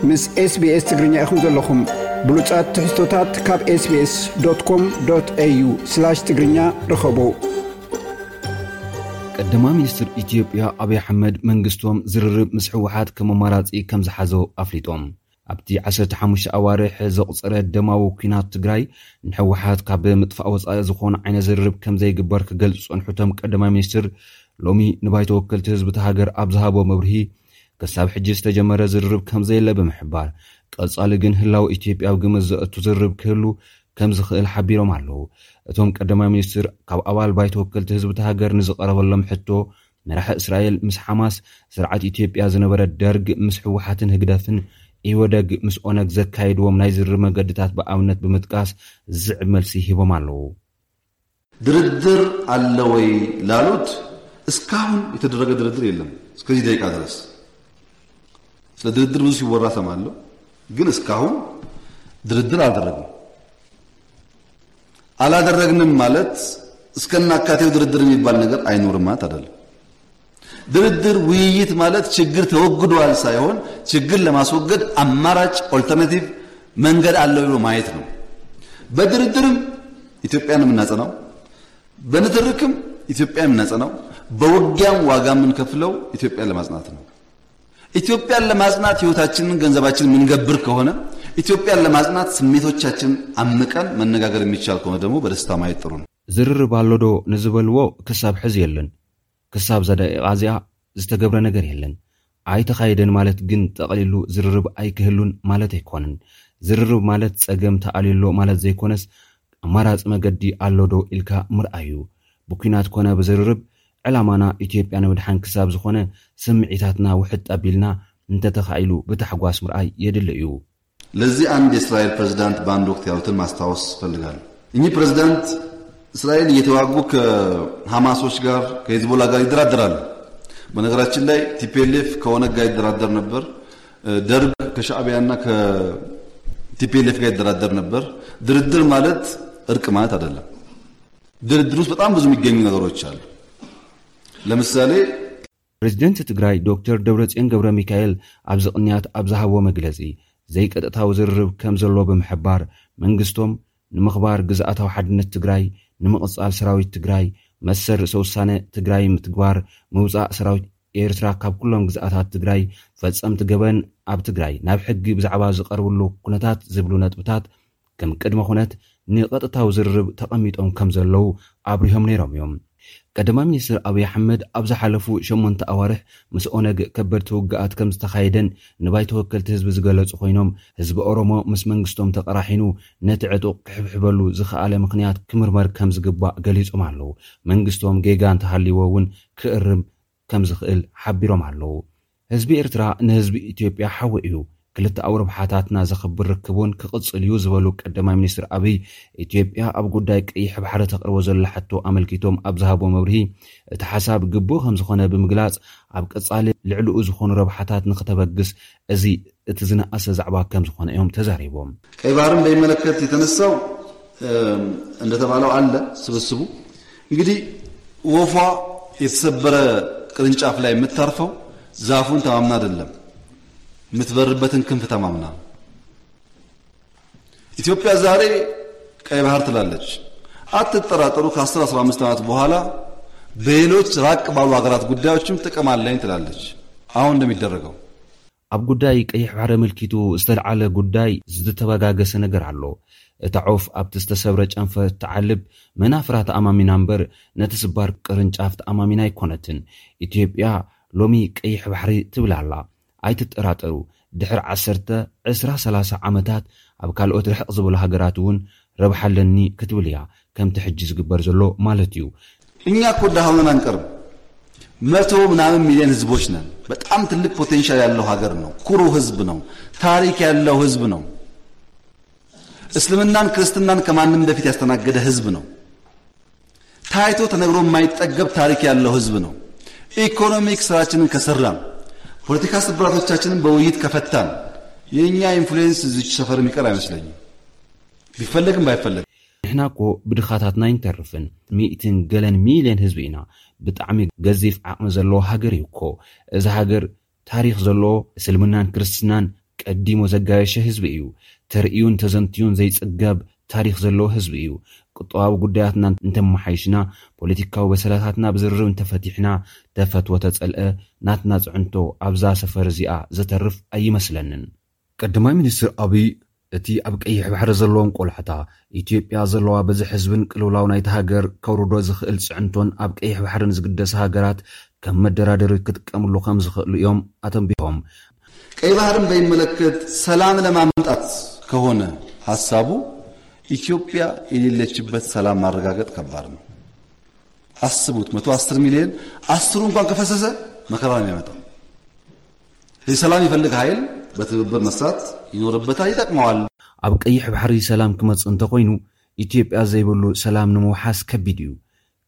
ምስ SBS ትግርኛ ኢኹም ዘለኹም። ብሉጻት ትሕዝቶታት ካብ SBS.com.au/ትግርኛ ርኸቡ። ቀዳማይ ሚኒስትር ኢትዮጵያ ኣብይ ኣሕመድ መንግስቶም ዝርርብ ምስ ህወሓት ከም ኣማራጺ ከም ዝሓዞ ኣፍሊጦም። ኣብቲ ዓሰርተ ሓሙሽተ ኣዋርሕ ዘቑጸረ ደማዊ ኲናት ትግራይ ንህወሓት ካብ ምጥፋእ ወጻኢ ዝኾነ ዓይነት ዝርርብ ከም ዘይግበር ክገልጹ ዝጸንሑ እቶም ቀዳማይ ሚኒስትር ሎሚ ንባይቶ ወከልቲ ህዝቢ እታ ሃገር ኣብ ዝሃቦ መብርሂ ክሳብ ሕጂ ዝተጀመረ ዝርርብ ከም ዘየለ ብምሕባር ቀጻሊ ግን ህላው ኢትዮጵያ ኣብ ግምት ዘእቱ ዝርርብ ክህሉ ከም ዝኽእል ሓቢሮም ኣለዉ። እቶም ቀዳማይ ሚኒስትር ካብ ኣባል ባይቶ ወከልቲ ህዝቢ እታ ሃገር ንዝቐረበሎም ሕቶ መራሒ እስራኤል ምስ ሓማስ፣ ስርዓት ኢትዮጵያ ዝነበረ ደርግ ምስ ህወሓትን ህግደፍን፣ ኢህወደግ ምስ ኦነግ ዘካየድዎም ናይ ዝርርብ መገድታት ብኣብነት ብምጥቃስ ዝስዕብ መልሲ ሂቦም ኣለዉ። ድርድር አለ ወይ ላሉት እስካሁን የተደረገ ድርድር የለም። እስከዚህ ደቂቃ ድረስ ስለ ድርድር ብዙ ሲወራ ሰማለሁ፣ ግን እስካሁን ድርድር አላደረግንም። አላደረግንም ማለት እስከናካቴው ድርድር የሚባል ነገር አይኖርም ማለት አይደለም። ድርድር፣ ውይይት ማለት ችግር ተወግዷል ሳይሆን ችግር ለማስወገድ አማራጭ፣ ኦልተርናቲቭ መንገድ አለ ብሎ ማየት ነው። በድርድርም ኢትዮጵያን የምናጸናው፣ በንትርክም ኢትዮጵያን የምናጸናው፣ በውጊያም ዋጋ የምንከፍለው ኢትዮጵያን ለማጽናት ነው። ኢትዮጵያን ለማጽናት ህይወታችንን ገንዘባችንን የምንገብር ከሆነ፣ ኢትዮጵያን ለማጽናት ስሜቶቻችንን አምቀን መነጋገር የሚቻል ከሆነ ደግሞ በደስታ ማየት ጥሩ ነው። ዝርርብ ኣሎ ዶ ንዝበልዎ ክሳብ ሕዚ የለን። ክሳብ እዛ ደቂቓ እዚኣ ዝተገብረ ነገር የለን። ኣይተኻየደን ማለት ግን ጠቕሊሉ ዝርርብ ኣይክህሉን ማለት ኣይኮነን። ዝርርብ ማለት ጸገም ተኣልዩ ኣሎ ማለት ዘይኮነስ ኣማራጺ መገዲ ኣሎ ዶ ኢልካ ምርኣይ እዩ። ብኲናት ኮነ ብዝርርብ ዕላማና ኢትዮጵያ ንምድሓን ክሳብ ዝኾነ ስምዒታትና ውሕጥ ኣቢልና እንተተኻኢሉ ብታሕጓስ ምርኣይ የድሊ እዩ። ለዚህ አንድ የእስራኤል ፕሬዝዳንት በአንድ ወቅት ያሉትን ማስታወስ እፈልጋለሁ። እኚህ ፕሬዝዳንት እስራኤል እየተዋጉ ከሐማሶች ጋር ከሂዝቦላ ጋር ይደራደራሉ። በነገራችን ላይ ቲፒኤልኤፍ ከኦነግ ጋር ይደራደር ነበር። ደርግ ከሻዕቢያና ከቲፒኤልኤፍ ጋር ይደራደር ነበር። ድርድር ማለት እርቅ ማለት አይደለም። ድርድር ውስጥ በጣም ብዙ የሚገኙ ነገሮች አሉ። ለምሳሌ ፕሬዝደንት ትግራይ ዶክተር ደብረጽዮን ገብረ ሚካኤል ኣብዚ ቅንያት ኣብ ዝሃቦ መግለጺ ዘይቀጥታዊ ዝርርብ ከም ዘሎ ብምሕባር መንግስቶም ንምኽባር ግዝኣታዊ ሓድነት ትግራይ፣ ንምቕጻል ሰራዊት ትግራይ፣ መሰል ርእሰ ውሳነ ትግራይ ምትግባር፣ ምውጻእ ሰራዊት ኤርትራ ካብ ኩሎም ግዝኣታት ትግራይ፣ ፈጸምቲ ገበን ኣብ ትግራይ ናብ ሕጊ ብዛዕባ ዝቐርብሉ ኩነታት ዝብሉ ነጥብታት ከም ቅድመ ኩነት ንቐጥታዊ ዝርርብ ተቐሚጦም ከም ዘለዉ ኣብሪሆም ነይሮም እዮም። ቀዳማይ ሚኒስትር ኣብይ ኣሕመድ ኣብ ዝሓለፉ ሸሞንተ ኣዋርሕ ምስ ኦነግ ከበድቲ ውግኣት ከም ዝተኻየደን ንባይቶ ወከልቲ ህዝቢ ዝገለጹ ኮይኖም ህዝቢ ኦሮሞ ምስ መንግስቶም ተቐራሒኑ ነቲ ዕጡቕ ክሕብሕበሉ ዝኸኣለ ምኽንያት ክምርመር ከም ዝግባእ ገሊጾም ኣለዉ። መንግስቶም ጌጋ እንተሃልይዎ እውን ክእርም ከም ዝኽእል ሓቢሮም ኣለዉ። ህዝቢ ኤርትራ ንህዝቢ ኢትዮጵያ ሓዊ እዩ። ክልተኣዊ ረብሓታትና ዘኽብር ርክብ እውን ክቕጽል እዩ ዝበሉ ቀዳማይ ሚኒስትር ኣብይ ኢትዮጵያ ኣብ ጉዳይ ቀይሕ ባሕሪ ተቕርቦ ዘላ ሕቶ ኣመልኪቶም ኣብ ዝሃቦ መብርሂ እቲ ሓሳብ ግቡእ ከም ዝኾነ ብምግላጽ ኣብ ቀጻሊ ልዕልኡ ዝኾኑ ረብሓታት ንክተበግስ እዚ እቲ ዝነኣሰ ዛዕባ ከም ዝኾነ እዮም ተዛሪቦም። ቀይ ባህርን በሚመለከት የተነሳው እንደተባለው አለ ስብስቡ እንግዲህ ወፏ የተሰበረ ቅርንጫፍ ላይ የምታርፈው ዛፉን ተማምና አይደለም፣ የምትበርበትን ክንፍ ተማምና። ኢትዮጵያ ዛሬ ቀይ ባህር ትላለች። አትጠራጠሩ፣ ከ አስር አስራ አምስት ዓመት በኋላ በሌሎች ራቅ ባሉ ሀገራት ጉዳዮችም ጥቅም አለኝ ትላለች። አሁን እንደሚደረገው ኣብ ጉዳይ ቀይሕ ባሕሪ ኣመልኪቱ ዝተልዓለ ጉዳይ ዝተበጋገሰ ነገር ኣሎ። እታ ዑፍ ኣብቲ ዝተሰብረ ጨንፈር ትዓልብ መናፍራ ተኣማሚና እምበር ነቲ ስባር ቅርንጫፍ ተኣማሚና ኣይኮነትን። ኢትዮጵያ ሎሚ ቀይሕ ባሕሪ ትብል ኣላ። ኣይትጠራጠሩ፣ ድሕሪ ዓሰርተ፣ ዕስራ፣ ሰላሳ ዓመታት ኣብ ካልኦት ርሕቕ ዝበሉ ሃገራት እውን ረብሓ ኣለኒ ክትብል እያ፣ ከምቲ ሕጂ ዝግበር ዘሎ ማለት እዩ። እኛ እኮ ደሃ ሆነን አንቀርም። መቶ ምናምን ሚሊዮን ህዝቦች ነን። በጣም ትልቅ ፖቴንሻል ያለው ሀገር ነው። ኩሩ ህዝብ ነው። ታሪክ ያለው ህዝብ ነው። እስልምናን ክርስትናን ከማንም በፊት ያስተናገደ ህዝብ ነው። ታይቶ ተነግሮ የማይጠገብ ታሪክ ያለው ህዝብ ነው። ኢኮኖሚክ ስራችንን ከሰራን፣ ፖለቲካ ስብራቶቻችንን በውይይት ከፈታን የእኛ ኢንፍሉዌንስ እዚች ሰፈር የሚቀር አይመስለኝም፣ ቢፈለግም ባይፈለግ። ንሕና እኮ ብድኻታትና ኣይንተርፍን። ሚእትን ገለን ሚልዮን ህዝቢ ኢና። ብጣዕሚ ገዚፍ ዓቕሚ ዘለዎ ሃገር እዩ እኮ። እዚ ሃገር ታሪኽ ዘለዎ እስልምናን ክርስትናን ቀዲሙ ዘጋየሸ ህዝቢ እዩ። ተርእዩን ተዘንትዩን ዘይጽገብ ታሪኽ ዘለዎ ህዝቢ እዩ። ቁጠባዊ ጉዳያትና እንተመሓይሽና፣ ፖለቲካዊ በሰላታትና ብዝርርብ እንተፈቲሕና፣ ተፈትወ ተጸልአ፣ ናትና ጽዕንቶ ኣብዛ ሰፈር እዚኣ ዘተርፍ ኣይመስለንን። ቀዳማይ ሚኒስትር ኣቢይ፣ እቲ ኣብ ቀይሕ ባሕሪ ዘለዎም ቆላሕታ፣ ኢትዮጵያ ዘለዋ በዝሒ ህዝብን ቅልውላው ናይቲ ሃገር ከውርዶ ዝኽእል ጽዕንቶን ኣብ ቀይሕ ባሕርን ዝግደሳ ሃገራት ከም መደራደሪ ክጥቀምሉ ከም ዝኽእሉ እዮም ኣተንቢሆም። ቀይ ባህርን በሚመለከት ሰላም ለማምጣት ከሆነ ሐሳቡ፣ ኢትዮጵያ የሌለችበት ሰላም ማረጋገጥ ከባድ ነው። አስቡት፣ መቶ አስር ሚሊዮን፣ አስሩ እንኳን ከፈሰሰ መከራ ነው የሚያመጣው። ስለዚህ ሰላም ይፈልግ ኃይል በትብብር መስራት ይኖርበታል፣ ይጠቅመዋል። ኣብ ቀይሕ ባሕሪ ሰላም ክመጽእ እንተኾይኑ፣ ኢትዮጵያ ዘይብሉ ሰላም ንምውሓስ ከቢድ እዩ።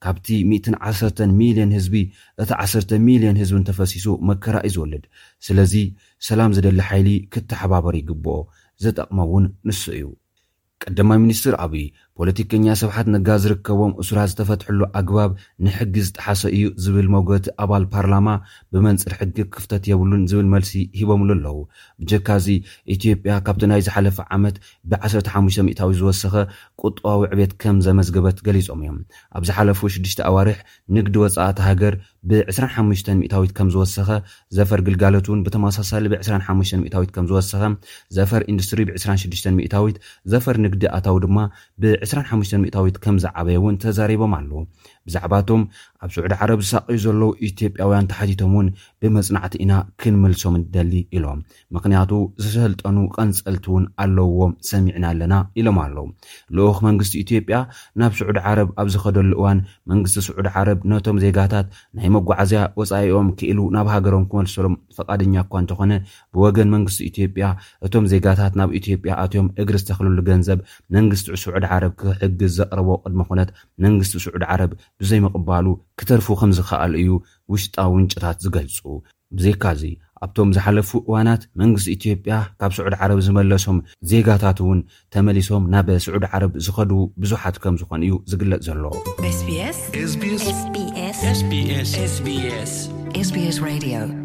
ካብቲ ሚእትን ዓሰርተን ሚልዮን ህዝቢ፣ እቲ ዓሰርተ ሚልዮን ህዝቢ እንተፈሲሱ መከራ እዩ ዝወልድ። ስለዚ ሰላም ዝደሊ ሓይሊ ክተሓባበር ይግብኦ። ዘጠቕሞ እውን ንሱ እዩ። ቀዳማይ ሚኒስትር ኣቢይ፣ ፖለቲከኛ ስብሓት ነጋ ዝርከቦም እሱራት ዝተፈትሕሉ ኣግባብ ንሕጊ ዝጠሓሰ እዩ ዝብል መውገቲ ኣባል ፓርላማ፣ ብመንጽር ሕጊ ክፍተት የብሉን ዝብል መልሲ ሂቦምሉ ኣለዉ። ብጀካዚ፣ ኢትዮጵያ ካብቲ ናይ ዝሓለፈ ዓመት ብ15 ሚእታዊ ዝወሰኸ ቁጠባዊ ዕቤት ከም ዘመዝገበት ገሊጾም እዮም። ኣብ ዝሓለፉ ሽዱሽተ ኣዋርሕ ንግዲ ወጻኢ እታ ሃገር ብ25 ሚእታዊት ከም ዝወሰኸ፣ ዘፈር ግልጋሎት እውን ብተመሳሳሊ ብ25 ሚእታዊት ከም ዝወሰኸ፣ ዘፈር ኢንዱስትሪ ብ26 ሚእታዊት፣ ዘፈር ንግዲ ኣታዊ ድማ ብ25 ሚእታዊት ከም ዝዓበየ እውን ተዛሪቦም ኣለዉ። ብዛዕባቶም ኣብ ስዑዲ ዓረብ ዝሳቀዩ ዘለዉ ኢትዮጵያውያን ተሓቲቶም እውን ብመጽናዕቲ ኢና ክንምልሶም ንደሊ ኢሎም። ምኽንያቱ ዝሰልጠኑ ቀንጸልቲ እውን ኣለውዎም ሰሚዕና ኣለና ኢሎም ኣለዉ። ልኡኽ መንግስቲ ኢትዮጵያ ናብ ስዑዲ ዓረብ ኣብ ዝኸደሉ እዋን መንግስቲ ስዑዲ ዓረብ ነቶም ዜጋታት ናይ መጓዓዝያ ወጻኢኦም ክኢሉ ናብ ሃገሮም ክመልሰሎም ፈቃደኛ እኳ እንተኾነ፣ ብወገን መንግስቲ ኢትዮጵያ እቶም ዜጋታት ናብ ኢትዮጵያ ኣትዮም እግሪ ዝተኽልሉ ገንዘብ መንግስቲ ስዑዲ ዓረብ ክሕግዝ ዘቕረቦ ቅድመ ኩነት መንግስቲ ስዑዲ ዓረብ ብዘይምቕባሉ ክተርፉ ከም ዝኸኣሉ እዩ ውሽጣዊ ምንጭታት ዝገልጹ። ብዘይካዚ ኣብቶም ዝሓለፉ እዋናት መንግስቲ ኢትዮጵያ ካብ ስዑዲ ዓረብ ዝመለሶም ዜጋታት እውን ተመሊሶም ናብ ስዑዲ ዓረብ ዝኸዱ ብዙሓት ከም ዝኾኑ እዩ ዝግለጽ ዘሎ። SBS SBS SBS SBS SBS Radio